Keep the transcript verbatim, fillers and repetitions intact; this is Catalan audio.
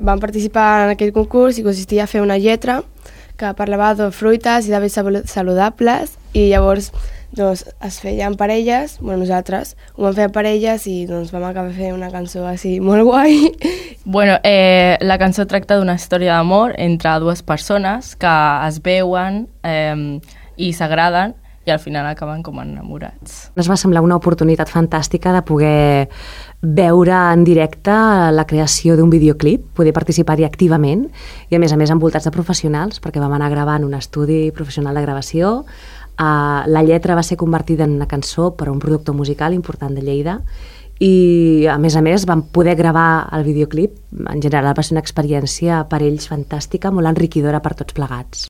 Vam participar en aquest concurs i consistia a fer una lletra que parlava de fruites i d'hàbits saludables i llavors doncs, es feien parelles, bueno, nosaltres ho vam fer a parelles i doncs, vam acabar fent una cançó així molt guai. Bueno, eh, la cançó tracta d'una història d'amor entre dues persones que es veuen eh, i s'agraden i al final acaben com enamorats. Ens va semblar una oportunitat fantàstica de poder veure en directe la creació d'un videoclip, poder participar-hi activament i a més a més envoltats de professionals perquè vam anar gravant un estudi professional de gravació. Uh, la lletra va ser convertida en una cançó per a un productor musical important de Lleida i a més a més vam poder gravar el videoclip. En general va ser una experiència per ells fantàstica, molt enriquidora per tots plegats.